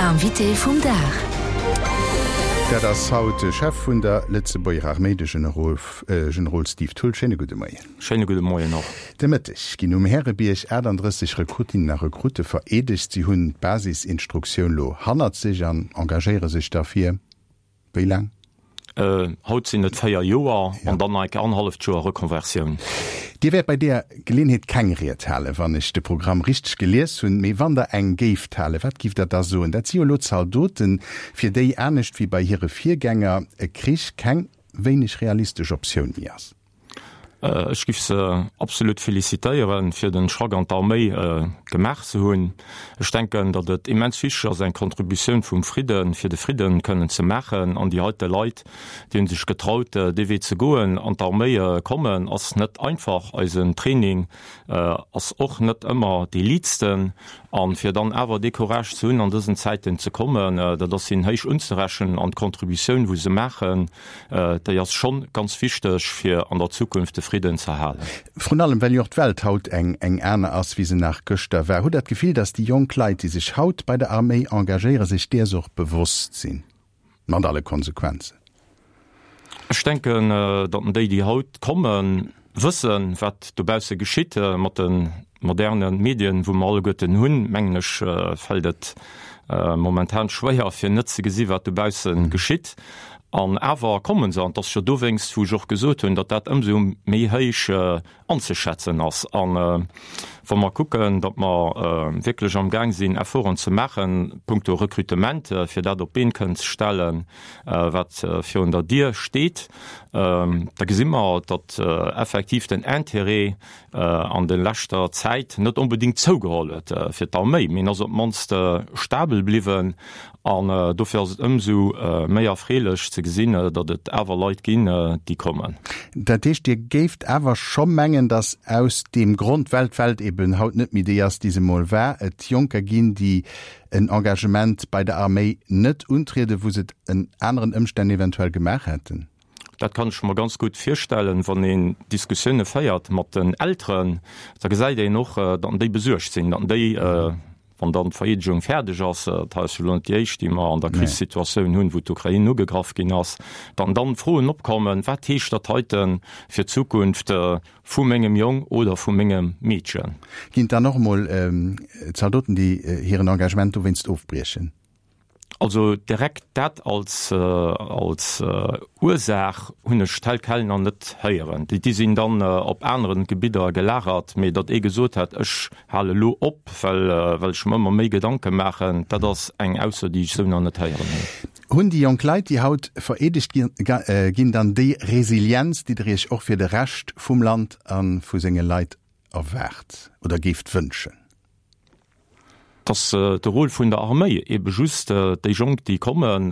Invité vum Dag. Dat ass haut de Chef vun der Lëtzebuerger Arméi, de Generol Generol Steve Thull. Schéine gudde Moien. Schéine gudde Moien och. De Mëtteg ginn um Härebierg 38 Rekrutinnen a Rekrutte vereedegt. Si hunn d'Basisinstruktioun lo hannert sech an engagéiere sech da fir Wéi laang? Haut sinn et 4 Joer an dann nach eng Kéier annerhalleft Joer Reconversioun. Dir wäert bei deeër Geleeënheet keng Ried halen, wann ech de Programm richteg gelies hunn. Mee wann Der eng géift halen, wat giff Der da soen? Dat si jo elo Zaldoten, fir déi, anescht wéi bei hire Virgänger, e Krich keng wéineg realistesch Optioun méi ass. Ech giff se absolut felicitéieren fir den Schrack an d'Arméi gemaach ze hunn. Ech denken, datt et immens wichteg ass eng Contributioun vum Fridden, fir de Fridden kënnen ze maachen. An déi heite Leit, déi hunn sech getraut dee Wee ze goen, an d'Arméi kommen, ass net einfach. Eisen Training ass och net ëmmer dee liitsten. An fir dann awer dee Courage ze hunn an dësen Zäiten ze kommen, dat ass hinnen héich unzerechnen. An d'Contributioun wou se maachen, Déi ass schonn ganz wichteg, fir an der Zukunft de Fridden ze erhalen. Vrun allem, well jo och d'Welt haut eng eng aner ass, wéi se nach gëschter war. Hutt Der d'Gefill, datt déi jonk Leit, déi sech haut bei der Arméi engagéieren, sech däers och bewosst sinn, mat alle Konsequenzen? Ech denken, datt déi, déi haut kommen, wëssen, wat dobausse geschitt. Mat de moderne Medien, wou mer alleguerten hunn, mengen ech, fält et momentan schwéier, fir net ze gesi wat dobausse geschitt. An awer komme se, an et ass jo dowéinst, wou ech och gesot hunn, datt dat ëmsou méi héich anzeschätzen ass. A wa mer kucken, datt mer wierklech amgaang sinn, Efforten ze maachen punkto Rekrutement, fir dat op d'Been kënnen ze stellen, wat virun der Dier steet, da gesi mer, datt effektiv den Intérêt an de leschter Zäit net onbedéngt zougeholl huet fir d'Arméi, mee en ass op d'mannst stabel bliwwen. An dofir ass et ëmsou méi erfreelech ze gesinn, datt et awer Leit ginn, déi kommen. Dat heescht, Dir géift awer scho mengen, datt aus deem Grond, well d'Welt eben haut net méi déi ass, déi se emol war, et Jonker ginn, déi en Engagement bei der Arméi net untrieden, wou se et en aneren Ëmstänn eventuell gemaach hätten? Dat kann ech mer ganz gutt virstellen. Wann een Diskussioune féiert mat den Elteren, da gesäit een och, datt déi besuergt sinn, datt déi, wann dann d'Vereedegung fäerdeg ass, dat hei ass jo elo net déi éischt, déi mer an der Krichssituatioun hunn, wou d'Ukrain ugegraff ginn ass, datt dann Froen opkommen, Wat heescht dat heite fir d'Zukunft vu mengem Jong oder vu mengem Meedchen? Ginn et dann och emol Zaldoten, déi hiren Engagement dowéinst ofbriechen? Also direkt dat als als Ursaach hunn ech tel quel nach net héieren. Déi sinn dann op aneren Gebidder gelagert, mee datt ee gesot hätt, ech hale lo op, well well ech mer ëmmer méi Gedanke maachen, dat ass eng Ausso, déi ech esou nach net héieren hunn. Hunn déi jonk Leit, déi haut vereedegt ginn, dann déi Resilienz, déi Der Iech och fir de Rescht vum Land a vu senge Leit erwaart oder géift wënschen? 't ass de Rôle vun der Arméi, ebe just déi Jonk, déi kommen,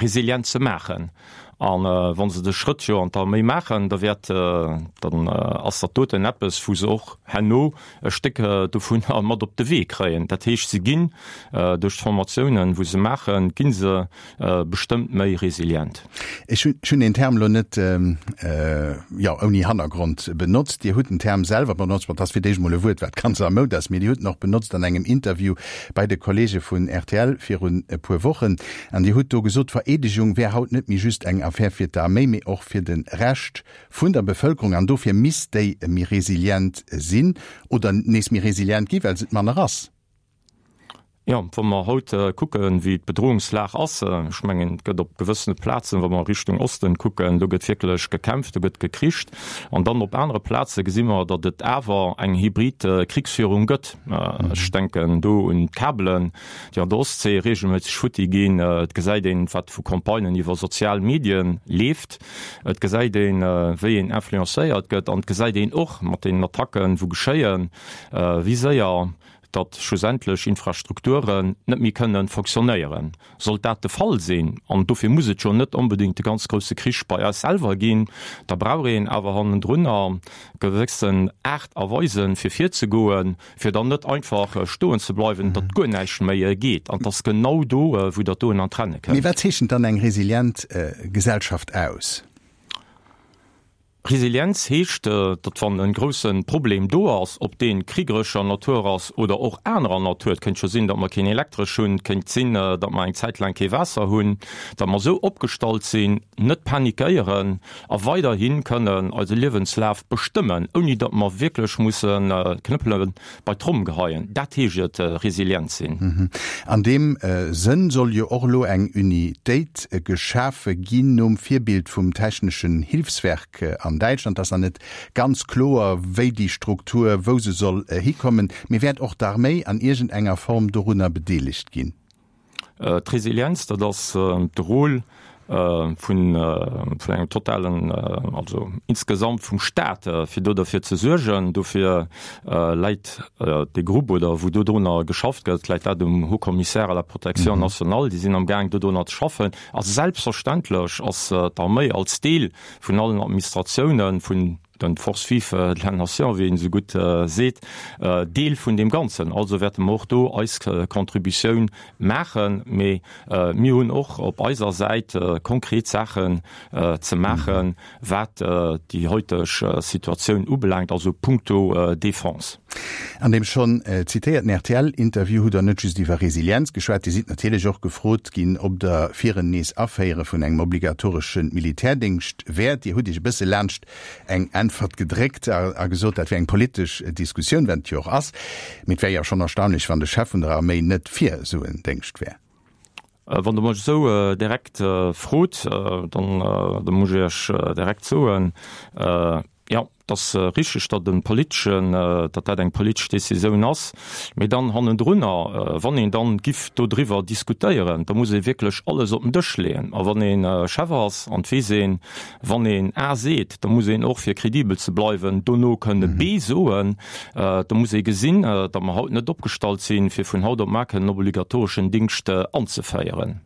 resilient ze maachen. A wa se de Schrëtt jo an d'Arméi maachen, da wäert, dann ass dat doten eppes, wou se och herno e Stéck dovunner mat op de Wee kréien. Dat heescht, se ginn duerch d'Formatiounen, wou se maachen, gi se bestëmmt méi resilient. Ech hunn deen Term elo net, jo, ouni Hannergrond benotzt. Dir hutt den Term selwer benotzt, bon, et ass fir d'éischt emol e Wuert, wat ganz a Moud ass, mee Dir hutt en och benotzt an engem Interview bei de Kollege vun rtl virun e puer Wochen. An Dir hutt do gesot, d'Vereedegung wär haut net méi just eng Affär fir d'Arméi, mee och fir de Rescht vun der Bevëlkerung. An dofir misst déi méi resilient sinn oder nees méi resilient ginn, well se et manner ass. Jo, wa mer haut kucken, wéi d'Bedrohungslag ass, ech mengen, et gëtt op gewëssene Plazen, wa mer Richtung Osten kucken, do gëtt wierklech gekämpft, do gëtt gekricht. An dann op anere Plaze gesi mer, datt et awer eng hybrid Krichsführung gëtt. Ech denken do un d'Kabelen, déi an der Ostsee reegelméisseg futti ginn. Et gesäit een, wat vu Campagnen iwwer sozial Medien leeft. Et gesäit een, wéi een influencéiert gëtt. An et gesäit een och mat deenen Attacken, wou geschéien, wéi séier datt schlussendlech Infrastrukturen net méi kënnen fonctionnéieren. Sollt dat de Fall sinn, an dofir muss et jo net onbedéngt de ganz grousse Krich bei eis selwer ginn, da brauch een awer hannendrunner gewëssen Aart a Weisen, fir virzegoen, fir dann net einfach stoen ze bleiwen, datt guer näischt méi geet. An et ass genau do, wou dat doen an d'Renne kënnt. Mee wat zeechent dann eng resilient Gesellschaft aus? Resilienz heescht, datt wann e grousse Problem do ass, ob dee kriegerescher Natur ass oder och anerer Natur, et kéint jo sinn, datt mer keen Elektresch hunn, et kéint sinn, datt mer eng Zäit laang kee Waasser hunn, datt mer esou opgestallt sinn, net panikéieren a weiderhi kënnen eise Liewenslaf bestëmmen, ouni datt mer wierklech mussen d'Knëppele bei d'Tromm geheien. Dat heescht et, resilient sinn. An deem Sënn soll jo och elo eng Unitéit geschafe ginn, nom Virbild vum Technischen Hilfswerk an Däitschland. Et ass nach net ganz kloer, wéi déi Struktur, wou se soll hikommen. Mee wäert och d'Arméi an iergendenger Form dorunner bedeelegt ginn? D'Resilienz, dat ass de Rôle vun engem totalen, also insgesamt vum Staat, fir do derfir ze suergen. Dofir läit dee Grupp, oder wou dodrunner geschafft gëtt, läit dat um Haut Commissaire à la protection nationale. Déi sinn amgaang dodrunner ze schaffen. A selbstverständlech ass d'Arméi als Deel vun allen Administratiounen, vun den Forces vives de la nation, wéi een esou gutt seet, Deel vun deem Ganzen. Also wäerte mer och do eis Contributioun maachen. Mee mir hunn och op eiser Säit konkret Saachen ze maachen, wat déi heuteg Situatioun ubelaangt, also punkto Défense. An deem schonn zitéierten RTL-Interview hutt Der net just iwwer Resilienz geschwat, Dir sidd natierlech och gefrot ginn, ob Der fir en Nees-Aféiere vun engem obligatoresche Militärdéngscht wäert. Dir hutt Iech e bësse laanscht eng Äntwert gedréckt a gesot, dat wär eng politesch Diskussioun, wat et jo och ass. Mee et wär jo schonn erstaunlech, wann de Chef vun der Arméi net fir esou en Déngscht wär. Wann Der mech esou direkt frot, dann da muss ech Iech direkt soen, Jo, et ass richteg, datt e politeschen, datt dat eng politesch Décisioun ass. Mee dann hannendrunner, wann een dann giff dodriwwer diskutéieren, da muss ee wierklech alles op den Dësch leeën. A wann ee Chef ass, an et weess een, Wann een A seet, da muss een och, fir kredibel ze bleiwen, dono kënne B soen. Da muss ee gesinn, datt mer haut net opgestallt sinn, fir vun haut op mar kënnen obligatoreschen Dingscht anzeféieren.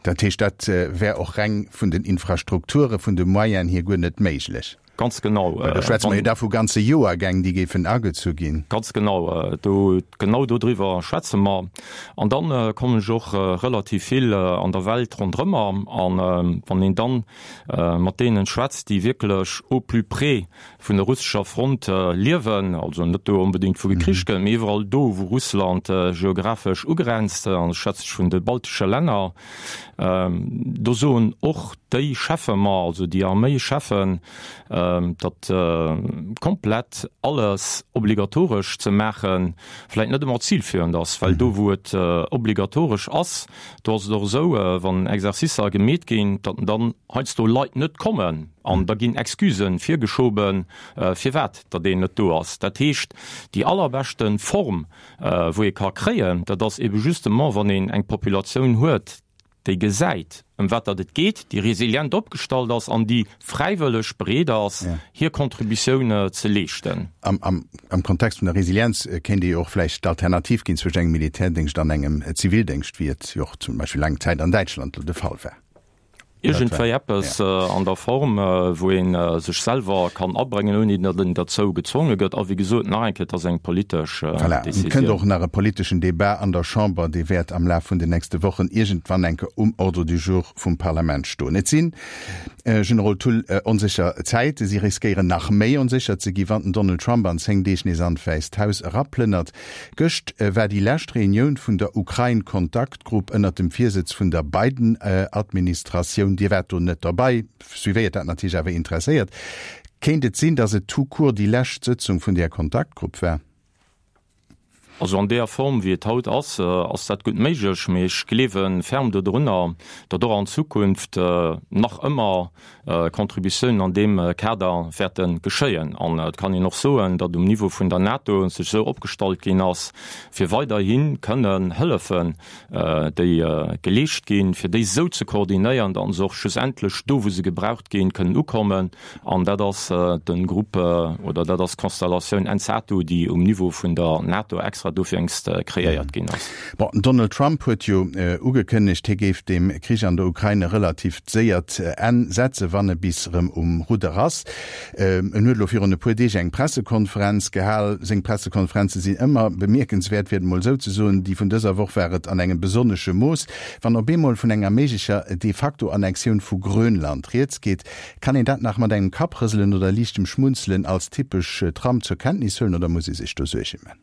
Dat heescht, dat wär och reng vun den Infrastrukture, vun de Moyenen hier guer net méiglech? Ganz genau. Well do schwätze mer jo da vu ganze Joergäng, déi géifen agezu ginn. Ganz genau. Do, genau dodriwwer schwätze mer. An dann kommen ech och relativ vill an der Welt ronderëmmer. An wann een dann mat deenen schwätzt, déi wierklech au plus près vun der russescher Front liewen, also net do onbedéngt wou gekricht gëtt, mee iwwerall do wou Russland geographesch ugrenzt, an ech schwätze vun de baltesche Länner, do soen och déi Cheffe mer, also déi Arméischeffen, datt komplett alles obligatoresch ze maache vläicht net ëmmer zilführend ass, well do wou et obligatoresch ass, do ass et och esou, wann Exercicer gemeet ginn, datt dann heiansdo Leit net kommen an da ginn Excusen virgeschoben, firwat datt een net do ass. Dat heescht, déi allerbeschte Form wou ee ka kréien, dat ass ebe justement, wann een eng Populatioun huet, déi gesäit, ëm wat datt et geet, déi resilient opgestallt ass an déi fräiwëlleg bereet ass, hir Contributioun ze leeschten. Am Kontext vun der Resilienz kéint ee jo och vläicht d'Alternativ ginn zwëscht engem Militärdéngscht an engem Zivildéngscht, wéi et jo och zum Beispill laang Zäit an Däitschland elo de Fall war. Iergendwéi eppes an der Form, wou ee sech selwer kann abréngen, ouni datt een derzou gezwonge gëtt. A wéi gesot, nach eng Kéier, et ass eng politesch Décisioun. Voilà, et kënnt och nach e politeschen Debat an der Chamber, dee wäert am Laf vun den nächste Wochen iergendwann eng Kéier um Ordre du jour vum Parlament stoen. Et sinn, Generol Thull, onsécher Zäite. Si riskéieren nach méi onsécher ze gi, wann den Donald Trump an 10 Deeg nees an d'Wäisst Haus eraplënnert. Gëscht war déi lescht Reunioun vun der Ukrain-Kontaktgrupp ënnert dem Virsëtz vun der Biden-Administratioun. Dir waart do net derbei, suivéiert dat natierlech awer interesséiert. Kéint et sinn, datt et tout court déi lescht Sëtzung vun där Kontaktgrupp war? Also an deeër Form, wéi et haut ass, ass dat gutt méiglech, mee ech gleewe ferm dodrunner, datt och an Zukunft nach ëmmer Contributiounen an deem Kader wäerte geschéien. An et kann een och soen, datt um Niveau vun der NATO sech esou opgestallt ginn ass, fir weiderhi kënnen Hëllefen, déi geleescht ginn, fir déi esou ze koordinéieren, datt se och schlussendlech do, wou se gebraucht ginn, kënnen ukommen. An dat ass de Grupp oder dat ass d'Constellatioun NSATU, déi um Niveau vun der NATO extra. wat dofir kreéiert ginn ass. Bon, den Donald Trump huet jo ugekënnegt, hie géif dem Krich an der Ukrain e relativt séiert Enn setzen, wann e bis erëm um Rudder ass. En huet elo virun e puer Deeg eng Pressekonferenz gehal. Seng Pressekonferenze sinn ëmmer bemierkenswäert, fir et emol esou ze soen. Déi vun dëser Woch war et an engem besonnesche Mooss. Wann op eemol vun enger méiglecher De-facto-Annexioun vu Grönland rieds geet, kann een dat nach mat engem Kapprëselen oder liichtem Schmunzelen als typesch Trump zur Kenntnis huelen oder muss ee sech do Suerge man?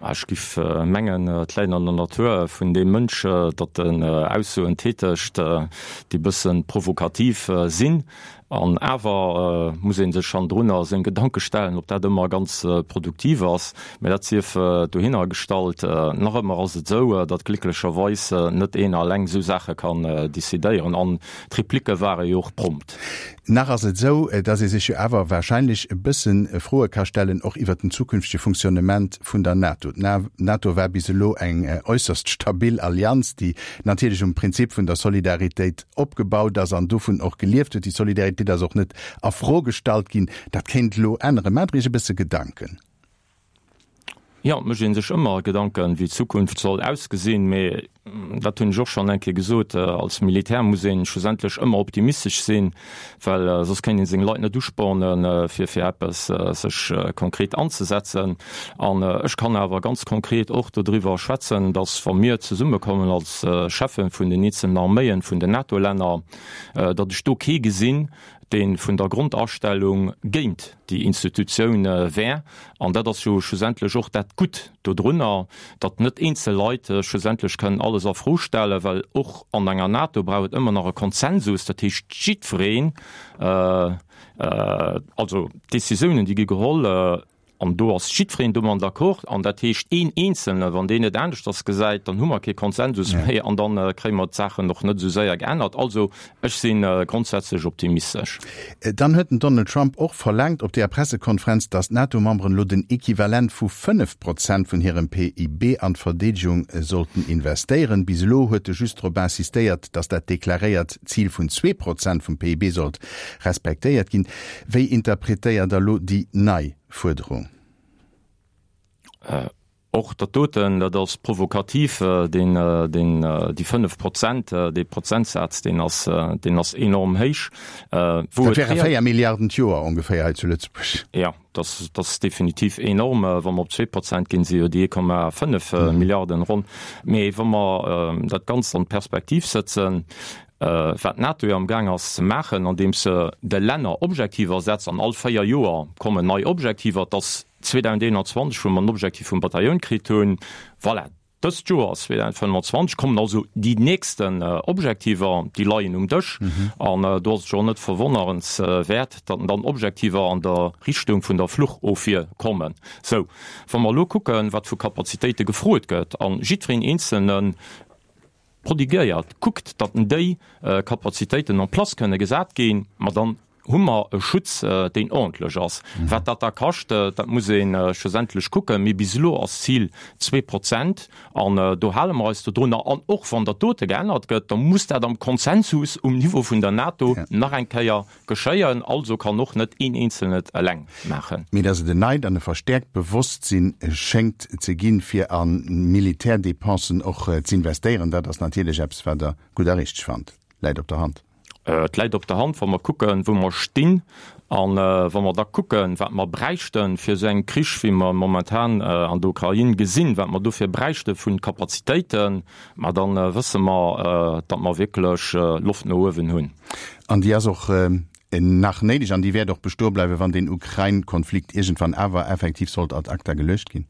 Ech giff mengen, et läit an der Natur vun deem Mënsch, datt en Aussoen tätegt, déi bëssen provokativ sinn. An awer muss ee sech hannendrunner seng Gedanke stellen, ob dat ëmmer ganz produktiv ass. Mä dat sief dohinner gestallt. Nach ëmmer ass et esou, datt glécklecherweis net een alleng esou Saache kann decidéieren. An d'Replique ware jo och prompt. Nach ass et esou, dass ee sech jo awer wahrscheinlech e bësse Froe ka stellen, och iwwert den zukünftege Fonctionnement vun der NATO. D'NATO war bis elo eng äusserst stabil Allianz, déi natierlech um Prinzip vun der Solidaritéit opgebaut ass an dovun och gelieft huet. Déi Solidaritéit ass och net a Fro gestallt ginn. Dat kéint elo änneren. Maacht Der Iech e bësse Gedanken? Jo, et mécht ee sech ëmmer Gedanken, wéi d'Zukunft soll ausgesinn. Mee dat hunn ech och schonn eng Kéier gesot, als Militär muss ee schlussendlech ëmmer optimistesch sinn, well soss kéint ee seng Leit net uspornen, fir fir eppes sech konkret anzesetzen. An ech kann awer ganz konkret och dodriwwer schwätzen, datt wa mir zesummekommen als Cheffen vun den eenzelnen Arméien vun den NATO-Länner, datt ech do kee gesinn, dee vun der Grondastellung géint déi Institutioun wär, an dat ass jo schlussendlech och dat Gutt dodrunner, datt net eenzel Leit schlussendlech kënnen alles a Fro stellen, well och an enger NATO brauch et ëmmer nach e Konsensus, dat heescht jiddwereen, also d'Décisiounen déi gi geholl, An do ass jiddwereen domat d'accord. An dat heescht, een Eenzelne, wann deen et aneschters gesäit, dann hu mer kee Konsensus méi an da kréie mer d'Saachen och net esou séier geännert. Also ech si grondsätzlech optimistesch. Dann huet den Donald Trump och verlaangt op deeër Pressekonferenz, datt d'NATO-Memberen elo den Equivalent vu 5 Prozent vun hirem PIB an d'Verdeedegung sollten investéieren. Bis elo huet e just drop insistéiert, datt dat deklaréiert Zil vun 2 Prozent vum PIB sollt respektéiert ginn. Wéi interpretéiert Der elo déi nei Fuerderung? Och dat doten, dat ass provokativ, deen, deen, déi 5 Prozent, dee Prozentsaz, deen ass, deen ass enorm héich. Wou et. Dat wäre 4 Milliarden d'Joer ongeféier hei zu Lëtzebuerg. Jo, dat, dat ass definitiv enorm. Wa mer op 2 Prozent ginn, si jo déi 1,5 Milliarden ronn. Mee wa mer dat Ganzt an d'Perspektiv sëtzen, Wat d'NATO jo am Gaang ass ze maachen, andeems se de Länner Objektiver setzt, an all 4 Joer kommen nei Objektiver, et ass 2021, wou mer den Objektiv vum Batailloun kritt hunn, voilà, dëst Joer 2025 kommen also déi nächsten Objektiver, déi leien um Dësch. An do ass et jo och net verwonnerenswäert, datt dann Objektiver an der Richtung vun der Fluchofwier kommen. Sou, wa mer elo kucken, wat vu Kapazitéite gefrot gëtt, a jiddwereen Eenzelne prodigéiert, kuckt, datt déi Kapazitéiten en place kënne gesat ginn, ma dann hu mer e Schutz, deen ordentlech ass. Wat dat da kascht, dat muss ee schlussendlech kucken. Mee bis elo ass d'Zil 2 Prozent an do hale mer eis dodrunner. An och wann dat dote geännert gëtt, da muss dat am Konsensus um Niveau vun der NATO nach eng Kéier Geschéien, also kann och net een Eenzelnen et eleng maachen. Mee dass et en neit an e verstäerkt Bewosstsinn schéngt ze ginn, fir a Militärdépensen och z'investéieren, dat ass natierlech eppes, wat Der gutt a richteg fannt. Läit op der Hand. Et läit op der Hand, wa mer kucken, wou mer stinn, a wa mer da kucken, wat mer bräichten, fir esou engem Krich, wéi mer e momentan an der Ukrain gesinn, wat mer dofir bräichte vu Kapazitéiten, ma da wësse mer, datt mer wierklech Loft no uewen hunn. An déi ass och nach néideg an déi wäert och bestoe bleiwen, wann deen Ukrain-Konflikt iergendwann awer effektiv sollt ad acta geluecht ginn.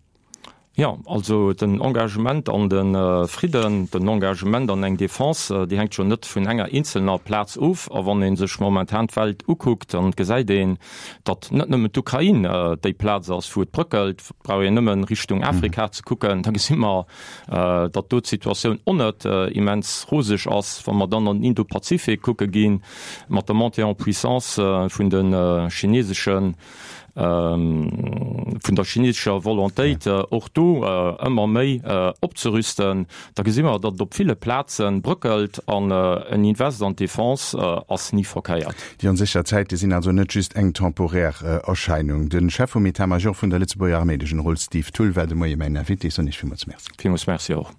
Jo, also den Engagement an de Fridden, den Engagement an eng Defense, déi hänkt jo net vun enger eenzelner Plaz of. A wann ee sech momentan d'Welt ukuckt, dann gesäit een, datt net nëmmen d'Ukrain déi Plaz ass, wou et bröckelt. Et brauch een nëmmen Richtung Afrika ze kucken, da gesi mer, datt do d'Situatioun och net immens roseg ass. Wa mer dann an den Indopazifik kucke ginn, mat der Montée en puissance vun de chinesesche. Vun der chinesescher Volontéit, och do ëmmer méi opzerüsten, da gesi mer, datt et op ville Plaze bröckelt an en Invest an d'Defense ass ni verkéiert. Déi onsécher Zäite sinn also net just eng temporär Erscheinung. De Chef vum État-major vun der Lëtzebuerger Arméi, de Generol Steve Thull, war de Moie mäin Invité. Ech soen Iech villmools Merci. Villmools Merci och.